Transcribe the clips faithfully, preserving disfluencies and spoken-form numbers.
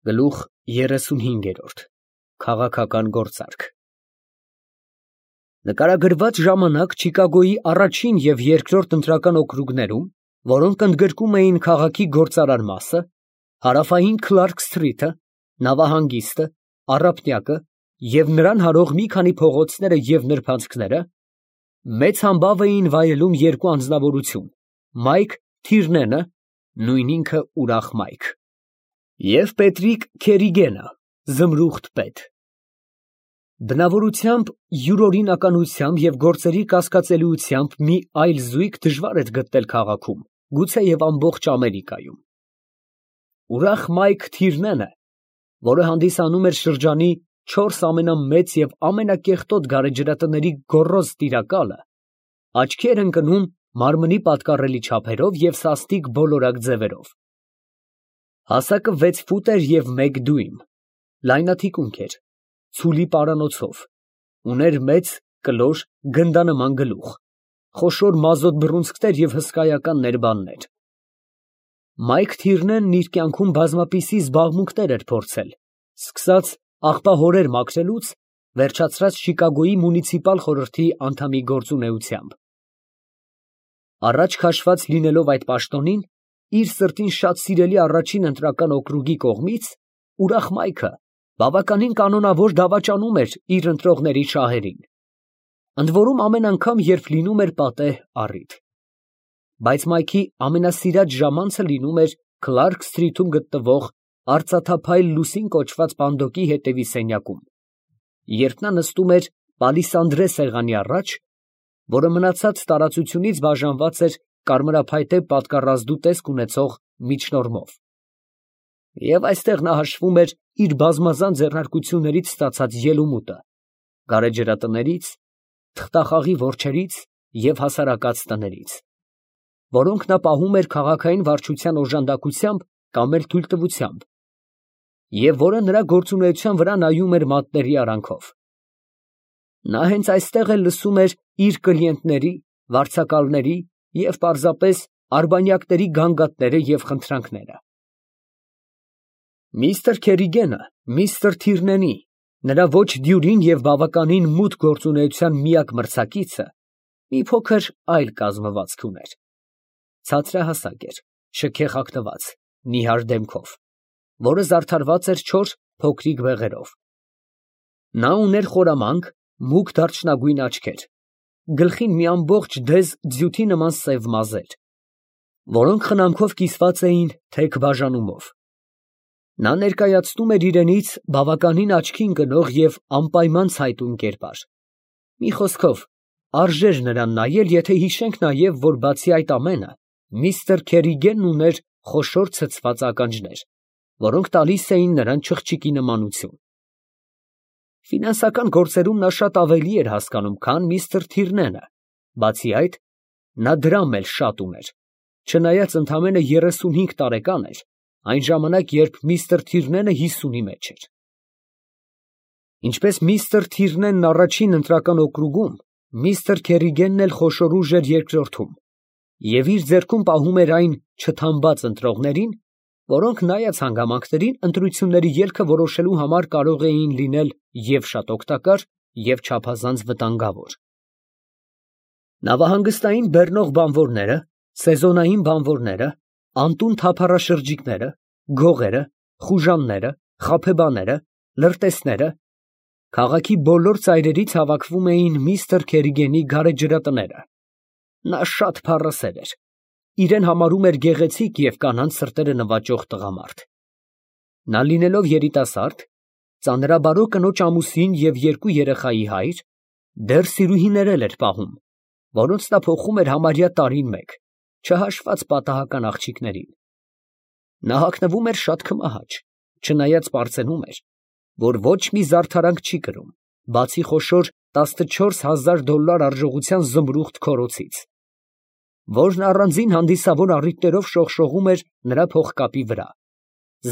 Գլուխ երեսունհինգերորդ Քաղաքական գործարք Նկարագրված ժամանակ Չիկագոյի առաջին և երկրորդ ընտրական օկրուգներում, որոնք ընդգրկում էին քաղաքի գործարար մասը, հարավային Քլարք Սթրիթը, նավահանգիստը, առափնյակը և նրան հարող մի քանի փողոցները և նրբանցքները, մեծ համբավ էին վայելում երկու անձնավորություն՝ Մայք Թիրնենը (նույն ինքը ուրախ Մայք) և Պետրիկ Քերիգենը (զմրուղտ պետ)։ Բնավորությամբ, յուրօրինականությամբ և գործերի կասկածելիությամբ մի այլ զույգ դժվար էր գտնել քաղաքում, գուցեև ամբողջ Ամերիկայում։ Ուրախ Մայք Թիրնենը, որը հանդիսանում էր շրջանի չորս ամենամեծ և ամենակեղտոտ գարեջրատների գոռոզ տիրակալը, աչքի էր ընկնում մարմնի պատկառելի չափերով և սաստիկ բոլորակ ձևերով։ Հասակը վեց ֆուտ էր և մեկ դյույմ, լայնաթիկունք էր, ցուլի պարանոցով, ուներ մեծ, կլոր, գնդանման գլուխ, խոշոր մազոտ բռունցքներ և հսկայական ներբաններ։ Մայք Թիրնենն իր կյանքում բազմապիսի զբաղմունքներ էր փորձել, սկսած աղբահորեր մաքրելուց, վերջացրած Չիկագոյի մունիցիպալ խորհրդի անդամի գործունեությամբ։ Առաջ քաշված լինելով այդ պաշտոնին, իր սրտին շատ սիրելի առաջին ընտրական օկրուգի կողմից, ուրախ Մայքը բավականին կանոնավոր դավաճանում էր իր ընտրողների շահերին, ընդորում ամեն անգամ, երբ լինում էր պատեհ առիթ։ Բայց Մայքի ամենասիրած ժամանցը լինում էր Քլարք Սթրիթում գտնվող արծաթափայլ լուսին կոչված պանդոկի հետևի սենյակում, երբ նա նստում էր պալիսանդրե սեղանի առաջ, որը մնացած տարածությունից բաժանված էր կարմրափայտե պատկառազդու տեսք ունեցող միջնորմով, և այստեղ նա հաշվում էր իր բազմազան ձեռնարկություններից ստացած ելումուտը, գարեջրատներից, թղթախաղի որջերից և հասարակած տներից, որոնք նա պահում էր քաղաքային վարչության օժանդակությամբ կամ էլ թույլտվությամբ, և որը նրա գործունեության վրա նայում էր մատների արանքով։ Նա հենց այստեղ էլ լսում էր իր կլիենտների, վարձակալների և պարզապես արբանյակների գանգատները և խնդրանքները։ Միսթր Քերիգենը միստր Թիրնենի, նրա ոչ դյուրին և բավականին մութ գործունեության միակ մրցակիցը, մի փոքր այլ կազմվածք ուներ. ցածրահասակ էր, շքեխաղտված, նիհար դեմքով, որը զարդարված էր չոր փոքրիկ բեղերով։ Նա ուներ խորամանկ, մուգ դարչնագույն աչքեր, գլխին մի ամբողջ դեզ ձյութի նման սև մազեր, որոնք խնամքով կիսված էին թեք բաժանումով։ Նա ներկայացնում էր իրենից բավականին աչքի ընկնող և անպայման ցայտուն կերպար։ Մի խոսքով, արժեր նրան նայել, եթե հիշենք նաև, որ բացի այդ ամենը, միստր Քերիգենն ուներ խոշոր ցցված ականջներ, որոնք տալիս էին նրան չղջիկի նմանություն։ Ֆինանսական գործերում նա շատ ավելի էր հասկանում, քան միստր Թիրնենը, բացի այդ, նա դրամ էլ շատ ուներ, չնայած ընդամենը երեսունհինգ տարեկան էր, այն ժամանակ, երբ միստր Թիրնենը հիսունի մեջ էր։ Ինչպես միստր Թիրնենն առաջին ընտրական օկրուգում, միստր Քերիգենն էլ խոշոր ուժ էր երկրորդում, և իր ձեռքում պահում էր այն չթամբած ընտրողներին, որոնք նայած հանգամանքներին ընտրությունների ելքը որոշելու համար կարող էին լինել և շատ օգտակար, և չափազանց վտանգավոր։ Նավահանգստային բեռնող բանվորները, սեզոնային բանվորները, անտուն թափառաշրջիկները, գողերը, խուժանները, խաբեբաները, լրտեսները, քաղաքի բոլոր ծայրերից հավաքվում էին միստր Քերիգենի գարեջրատները։ Նա շատ փառասեր էր, իրեն համարում էր գեղեցիկ և կանանց սրտերը նվաճող տղամարդ։ Նա լինելով երիտասարդ, ծանրաբարո կնոջ ամուսին և երկու երեխայի հայր, դեռ սիրուհիներ էլ էր պահում, որոնց նա փոխում էր համարյա տարին մեկ, չհաշված պատահական աղջիկներին։ Նա հագնվում էր շատ քմահաճ, չնայած պարծենում էր, որ ոչ մի զարդարանք չի կրում, բացի խոշոր տասնչորս հազար դոլար արժողության զմրուղտ քորոցից, որն առանձին հանդիսավոր առիթներով շողշողում էր նրա փողկապի վրա,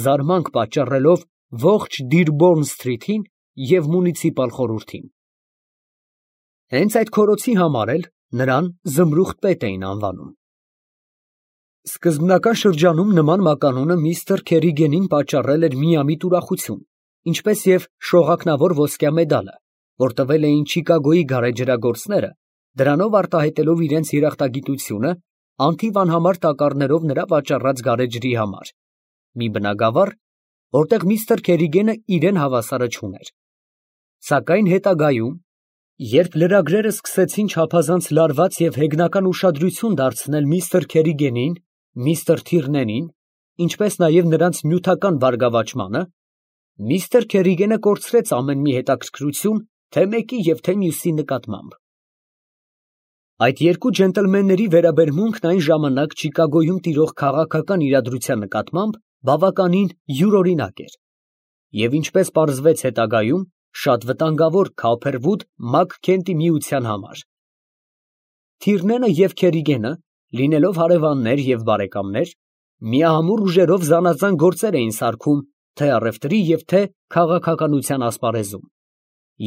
զարմանք պատճառելով ողջ Դիրբորն Սթրիթին և մունիցիպալ խորհրդին։ Հենց այդ քորոցի համար էլ նրան զմրուղտ պետ էին անվանում։ Սկզբնական շրջանում նման մականունը միստր Քերիգենին պատճառել էր միամիտ ուրախություն, ինչպես և շողակնավոր ոսկյա մեդալը, որ տվել էին Չիկագոյի գարեջրագործները, դրանով արտահայտելով իրենց երախտագիտությունը անթիվ անհամար տակառներով նրա վաճառած գարեջրի համար, մի բնագավառ, որտեղ միստր Քերիգենը իրան հավասարը չուներ։ Սակայն հետագայում, երբ լրագրերը սկսեցին չափազանց լարված և հեգնական ուշադրություն դարձնել միստր Քերիգենին, միստր Թիրնենին, ինչպես նաև նրանց նյութական բարգավաճմանը, միստր Քերիգենը կորցրեց ամեն մի հետաքրքրություն թե մեկի և թե մյուսի նկատմամբ։ Այդ երկու ջենտլմենների վերաբերմունքն այն ժամանակ Չիկագոյում տիրող քաղաքական իրադրության նկատմամբ բավականին յուրօրինակ էր, և ինչպես պարզվեց հետագայում, շատ վտանգավոր Քոփերվուդ Մաքքենթի միության համար։ Թիրնենը և Քերիգենը, լինելով հարևաններ և բարեկամներ, միահամուռ ուժերով զանազան գործեր էին սարքում թե առևտրի և թե քաղաքականության ասպարեզում,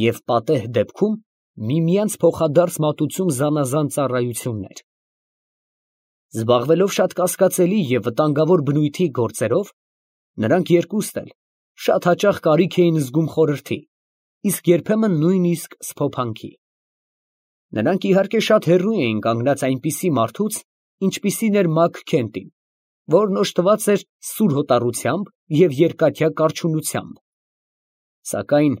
և պատեհ դեպքում միմյանց փոխադարձ մատուցում զանազան ծառայություններ։ Զբաղվելով շատ կասկածելի և վտանգավոր բնույթի գործերով, նրանք երկուստ էլ շատ հաճախ կարիք էին զգում խորհրդի, իսկ երբեմն նույնիսկ սփոփանքի։ Նրանք իհարկե շատ հեռու էին կանգնած այնպիսի մարդուց, ինչպիսին էր Մաքքենթին, որն օժտված էր սուր հոտառությամբ և երկաթյա կառչունությամբ։ Սակայն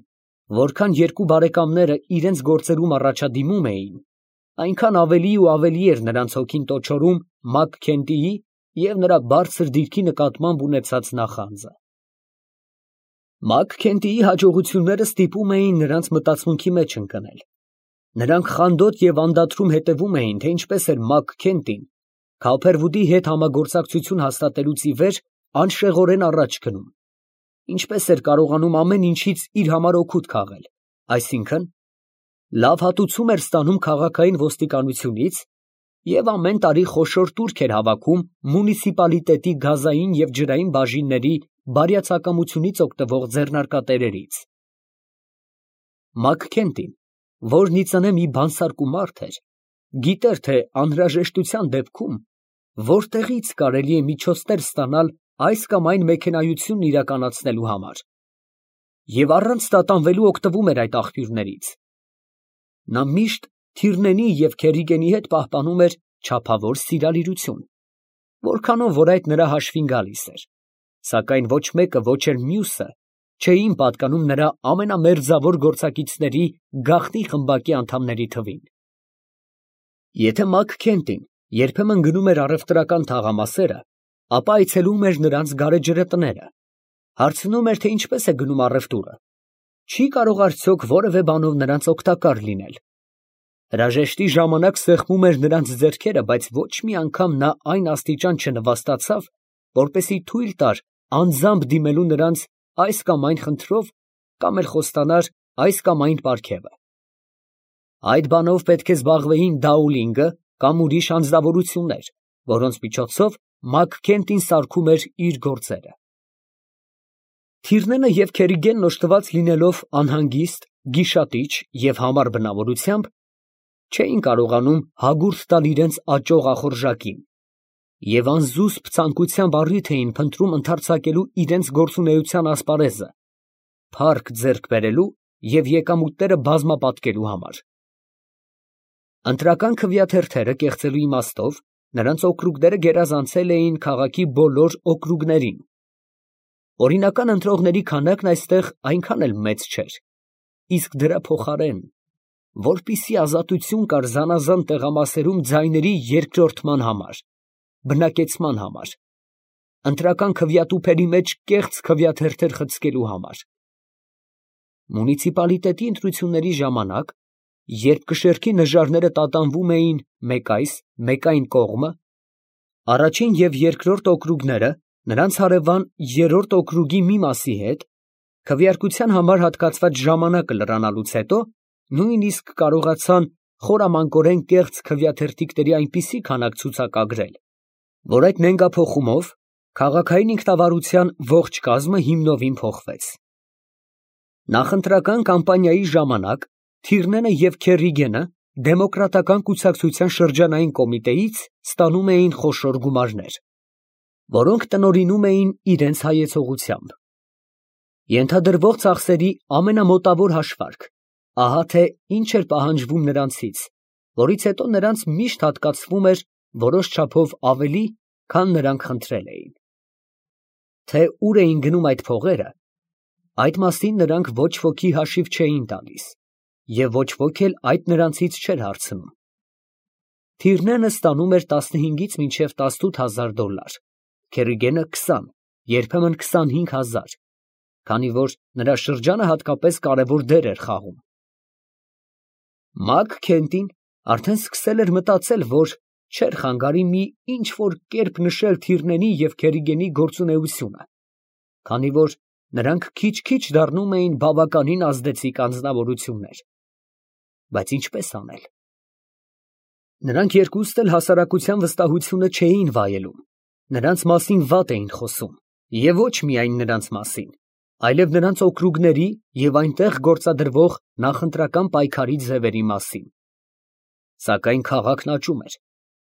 որքան երկու բարեկամները իրենց գործերում առաջադիմում էին, այնքան ավելի ու ավելի էր նրանց հոգին տոչորում Մաքքենթիի և նրա բարձր դիրքի նկատմամբ ունեցած նախանձը։ Մաքքենթիի հաջողությունները ստիպում էին նրանց մտածմունքի մեջ ընկնել։ Նրանք խանդոտ և անդադրում հետևում էին, թե ինչպես էր Մաքքենթին Քոփերվուդի հետ համագործակցություն հաստատելուց ի վեր անշեղորեն առաջ գնում, ինչպես էր կարողանում ամեն ինչից իր համար օգուտ քաղել, այսինքն՝ լավ հատուցում էր ստանում քաղաքային ոստիկանությունից և ամեն տարի խոշոր տուրք էր հավաքում մունիցիպալիտետի գազային և ջրային բաժինների բարյացակամությունից օգտվող ձեռնարկատերերից։ Մաքքենթին, որն ի ծնե մի բանսարկու մարդ էր, գիտեր, թե անհրաժեշտության դեպքում որտեղից կարելի է միջոցներ ստանալ այս կամ այն մեքենայությունն իրականացնելու համար, և առանց տատանվելու օգտվում էր այդ աղբյուրներից։ Նա միշտ Թիրնենի և Քերիգենի հետ պահպանում էր չափավոր սիրալիրություն, որքանով որ այդ նրա հաշվին գալիս էր, սակայն ոչ մեկը ոչ էլ մյուսը չէին պատկանում նրա ամենամերձավոր գործակիցների գաղտնի խմբակի անդամների թվին։ Եթե Մաքքենթին երբեմն գնում էր առևտրական թաղամասերը, ապա այցելում էր նրանց գարեջրատները, հարցնում էր, թե ինչպես է գնում առևտուրը, չի կարող արդյոք որևէ բանով նրանց օգտակար լինել։ Հրաժեշտի ժամանակ սեղմում էր նրանց ձեռքերը, բայց ոչ մի անգամ նա այն աստիճան չնվաստացավ, որպեսզի թույլ տար անձամբ դիմելու նրանց այս կամ այն խնդրով կամ էլ խոստանար այս կամ այն պարգևը։ Այդ բանով պետք է զբաղվեին Դաուլինգը կամ ուրիշ անձնավորություններ, որոնց միջոցով Մաքքենթին սարքում էր իր գործերը։ Թիրնենը և Քերիգենն օժտված լինելով անհանգիստ, գիշատիչ և համառ բնավորությամբ, չէին կարողանում հագուրդ տալ իրենց աճող ախորժակին և անզուսպ ցանկությամբ առիթ էին փնտրում ընդարձակելու իրենց գործունեության ասպարեզը, փառք ձեռք բերելու և եկամուտները բազմապատկելու համար։ Ընտրական քվեաթերթերը կեղծելու իմաստով նրանց օկրուգները գերազանցել էին քաղաքի բոլոր օկրուգներին։ Օրինական ընտրողների քանակն այստեղ այնքան էլ մեծ չէր, իսկ դրա փոխարեն, որպիսի ազատություն կար զանազան տեղամասերում ձայների երկրորդման համար, բնակեցման համար, ընտրական քվեատուփերի մեջ կեղծ քվեաթերթեր խցկելու համար։ Մունիցիպալիտետի ընտրությունների ժամանակ, երբ կշեռքի նժարները տատանվում էին մեկ այս, մեկ այն կողմը, առաջին և երկրորդ օկրուգները նրանց հարևան երրորդ օկրուգի մի մասի հետ, քվեարկության համար հատկացված ժամանակը լրանալուց հետո, նույնիսկ կարողացան խորամանկորեն կեղծ քվեաթերթիկների այնպիսի քանակ ցուցակագրել, որ այդ նենգափոխումով քաղաքային ինքնավարության ողջ կազմը հիմնովին փոխվեց։ Նախընտրական կամպանիայի ժամանակ Թիրնենը և Քերիգենը դեմոկրատական կուսակցության շրջանային կոմիտեից ստանում էին խոշոր գումարներ։ որոնք տնօրինում էին իրենց հայեցողությամբ։ Ենթադրվող ծախսերի ամենամոտավոր հաշվարկ, ահա թե ինչ էր պահանջվում նրանցից, որից հետո նրանց միշտ հատկացվում էր որոշ չափով ավելի, քան նրանք խնդրել էին։ Թե ուր էին գնում այդ փողերը, այդ մասին նրանք ոչ ոքի հաշիվ չէին տալիս, և ոչ ոք էլ այդ նրանցից չէր հարցնում։ Թիրնենը ստանում էր տասնհինգից մինչև տասնութ հազար դոլար, Քերիգենը քսան, երբեմն քսանհինգ հազար, քանի որ նրա շրջանը հատկապես կարևոր դեր էր խաղում։ Մակ Քենտին արդեն սկսել էր մտածել, որ չէր խանգարի մի ինչ֊որ կերպ նշել Թիրնենի և Քերիգենի գործունեությունը, քանի որ նրանք քիչ֊քիչ դառնում էին բավականին ազդեցիկ անձնավորություններ։ Բայց ինչպես անել։ Նրանք երկուստ էլ հասարակության վստահությունը չէին վայելում, նրանց մասին վատ էին խոսում, և ոչ միայն նրանց մասին, այլև նրանց օկրուգների և այնտեղ գործադրվող նախընտրական պայքարի ձևերի մասին։ Սակայն քաղաքն աճում էր,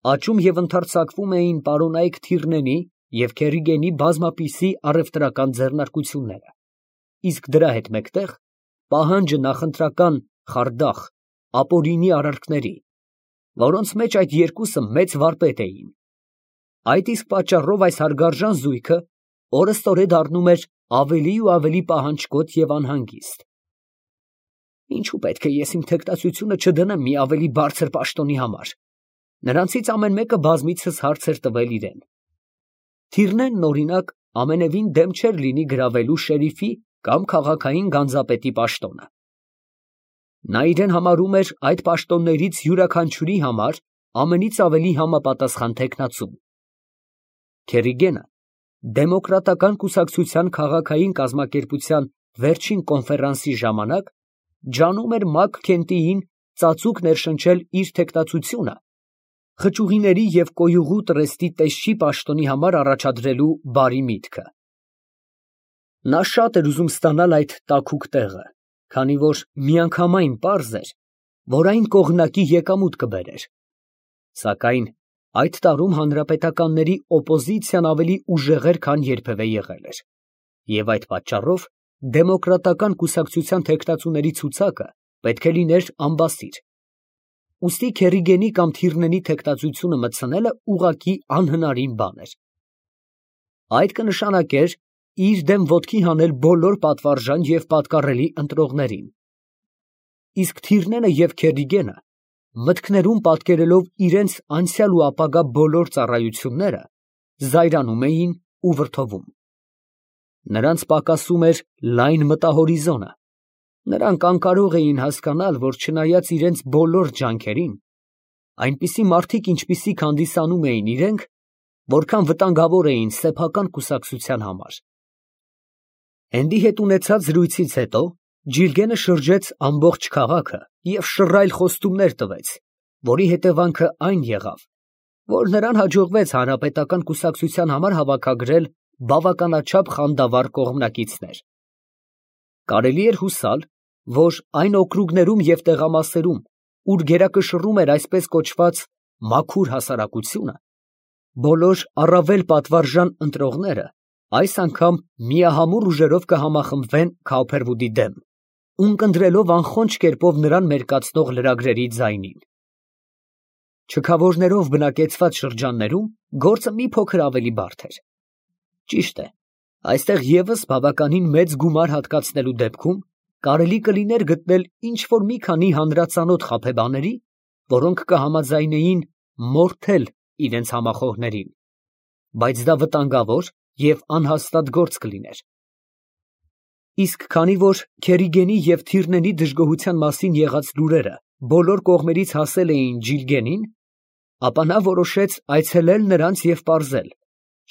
աճում և ընդարձակվում էին պարոնայք Թիրնենի և Քերիգենի բազմապիսի առևտրական ձեռնարկությունները, իսկ դրա հետ մեկտեղ պահանջը նախընտրական խարդախ, ապօրինի արարքների, որոնց մեջ այդ երկուսը մեծ վարպետ էին։ Այդ իսկ պատճառով այս հարգարժան զույգը օրըստօրե դառնում էր ավելի ու ավելի պահանջկոտ և անհանգիստ։ Ինչու պետք է ես իմ թեկնածությունը չդնեմ մի ավելի բարձր պաշտոնի համար։ Նրանցից ամեն մեկը բազմիցս հարց էր տվել իրան։ Թիրնենն, օրինակ, ամենևին դեմ չէր լինի գրավելու շերիֆի կամ քաղաքային գանձապետի պաշտոնը։ Նա իրան համարում էր այդ պաշտոններից յուրաքանչյուրի համար ամենից ավելի համապատասխան թեկնածուն։ Քերիգենը դեմոկրատական կուսակցության քաղաքային կազմակերպության վերջին կոնֆերանսի ժամանակ ջանում էր Մակ Քենտիին ծածուկ ներշնչել իր թեկնածությունը խճուղիների և կոյուղու տրեստի տեսչի պաշտոնի համար առաջադրելու բարի միտքը։ Նա շատ էր ուզում ստանալ այդ տաքուկ տեղը, քանի որ միանգամայն պարզ էր, որ այն կողմնակի եկամուտ կբերեր։ Սակայն այդ տարում հանրապետականների օպոզիցիան ավելի ուժեղ էր, քան երբևէ եղել էր, և այդ պատճառով դեմոկրատական կուսակցության թեկնածուների ցուցակը պետք է լիներ ամբասիր։ Ուստի Քերիգենի կամ Թիրնենի թեկնածությունը մտցնելը ուղղակի անհնարին բան էր։ Այդ կնշանակեր իր դեմ ոտքի հանել բոլոր պատվարժան և պատկառելի ընտրողներին։ Իսկ Թիրնենը և Քերիգենը, մտքներում պատկերելով իրենց անցյալ ու ապագա բոլոր ծառայությունները, զայրանում էին ու վրդովում։ Նրանց պակասում էր լայն մտահորիզոնը, նրանք անկարող էին հասկանալ, որ չնայած իրենց բոլոր ջանքերին, այնպիսի մարդիկ, ինչպիսիք հանդիսանում էին իրենք, որքան վտանգավոր էին սեփական կուսակցության համար։ Էնդի հետ ունեցած զրույցից հետո Ջիլգենը շրջեց ամբողջ քաղաքը և շռայլ խոստումներ տվեց, որի հետևանքը այն եղավ, որ նրան հաջողվեց հանրապետական կուսակցության համար հավաքագրել բավականաչափ խանդավառ կողմնակիցներ։ Կարելի էր հուսալ, որ այն օկրուգներում և տեղամասերում, ուր գերակշռում էր այսպես կոչված մաքուր հասարակությունը, բոլոր առավել պատվարժան ընտրողները այս անգամ միահամուռ ուժերով կհամախմբվեն Քաուփերվուդի դեմ, ունկնդրելով անխոնջ կերպով նրան մերկացնող լրագրերի ձայնին։ Չքավորներով բնակեցված շրջաններում գործը մի փոքր ավելի բարդ էր։ Ճիշտ է, այստեղ ևս բավականին մեծ գումար հատկացնելու դեպքում կարելի կլիներ գտնել ինչ֊որ մի քանի հանրածանոթ խաբեբաների, որոնք կհամաձայնեին մորթել իրենց համախոհներին, բայց դա վտանգավոր և անհաստատ գործ կլիներ։ Իսկ քանի որ Քերիգենի և Թիրնենի դժգոհության մասին եղած լուրերը բոլոր կողմերից հասել էին Ջիլգենին, ապա նա որոշեց այցելել նրանց և պարզել,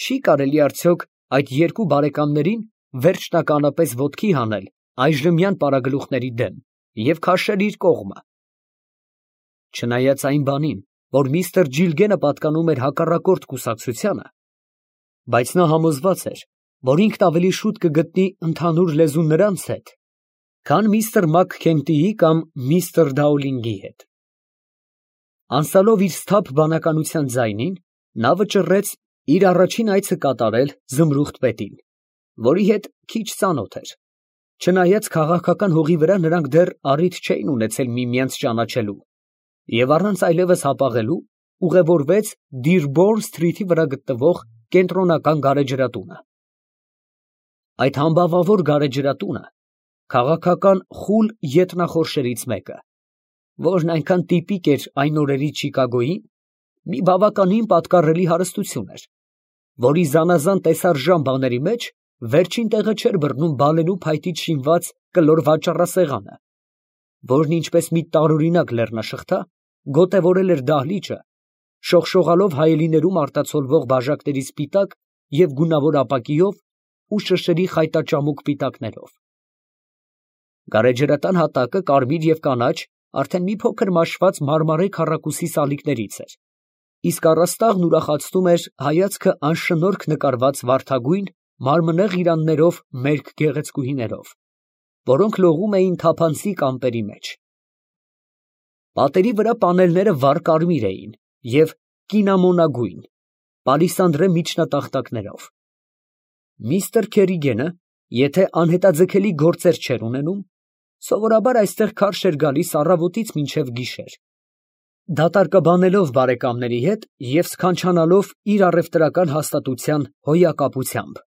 չի կարելի արդյոք այդ երկու բարեկամներին վերջնականապես ոտքի հանել այժմյան պարագլուխների դեմ և քաշել իր կողմը։ Չնայած այն բանին, որ միստր Ջիլգենը պատկանում էր հակառակորդ կուսակցությանը, բայց նա համոզված էր, որ ինքն ավելի շուտ կգտնի ընդհանուր լեզու նրանց հետ, քան միստր Մակ Քենտիի կամ միստր Դաուլինգի հետ։ Անցյալով իր սթափ բանականության ձայնին, նա վճռեց Իր առաջին այցը կատարել Զմրուխտ պետին, որի հետ քիչ ծանոթ էր, չնայած քաղաքական հողի վրա նրանք դեռ առիթ չէին ունեցել միմյանց ճանաչելու, և առանց այլևս հապաղելու ուղևորվեց Դիրբորն Սթրիթի վրա գտնվող կենտրոնական գարեջրատունը։ Այդ համբավավոր գարեջրատունը քաղաքական խուլ ետնախորշերից մեկը, որն այնքան տիպիկ էր այն օրերի Չիկագոյին, մի բավականին պատկառելի հարստություն էր, որի զանազան տեսարժան բաների մեջ վերջին տեղը չէր բռնում բալենու փայտից շինված կլոր վաճառասեղանը, որն ինչպես մի տարօրինակ լեռնաշղթա գոտևորել էր դահլիճը, շողշողալով հայելիներում արտացոլվող բաժակների սպիտակ և գունավոր ապակիով ու շշերի խայտաճամուկ պիտակներով։ Գարեջրատան հատակը կարմիր և կանաչ արդեն մի փոքր մաշված մարմարե քառակուսի սալիկներից էր, իսկ առաստաղն ուրախացնում էր հայացքը անշնորհք նկարված վարդագույն մարմնեղ իրաններով մերկ գեղեցկուհիներով, որոնք լողում էին թափանցիկ ամպերի մեջ։ Պատերի վրա պանելները վառ կարմիր էին և կինամոնագույն, պալիսանդրե միջնատախտակներով։ Միսթր Քերիգենը, եթե անհետաձգելի գործեր չէր ունենում, սովորաբար այստեղ քարշ էր գալիս առավոտից մինչև գիշեր, դատարկաբանելով բարեկամների հետ և սքանչանալով իր առևտրական հաստատության հոյակապությամբ։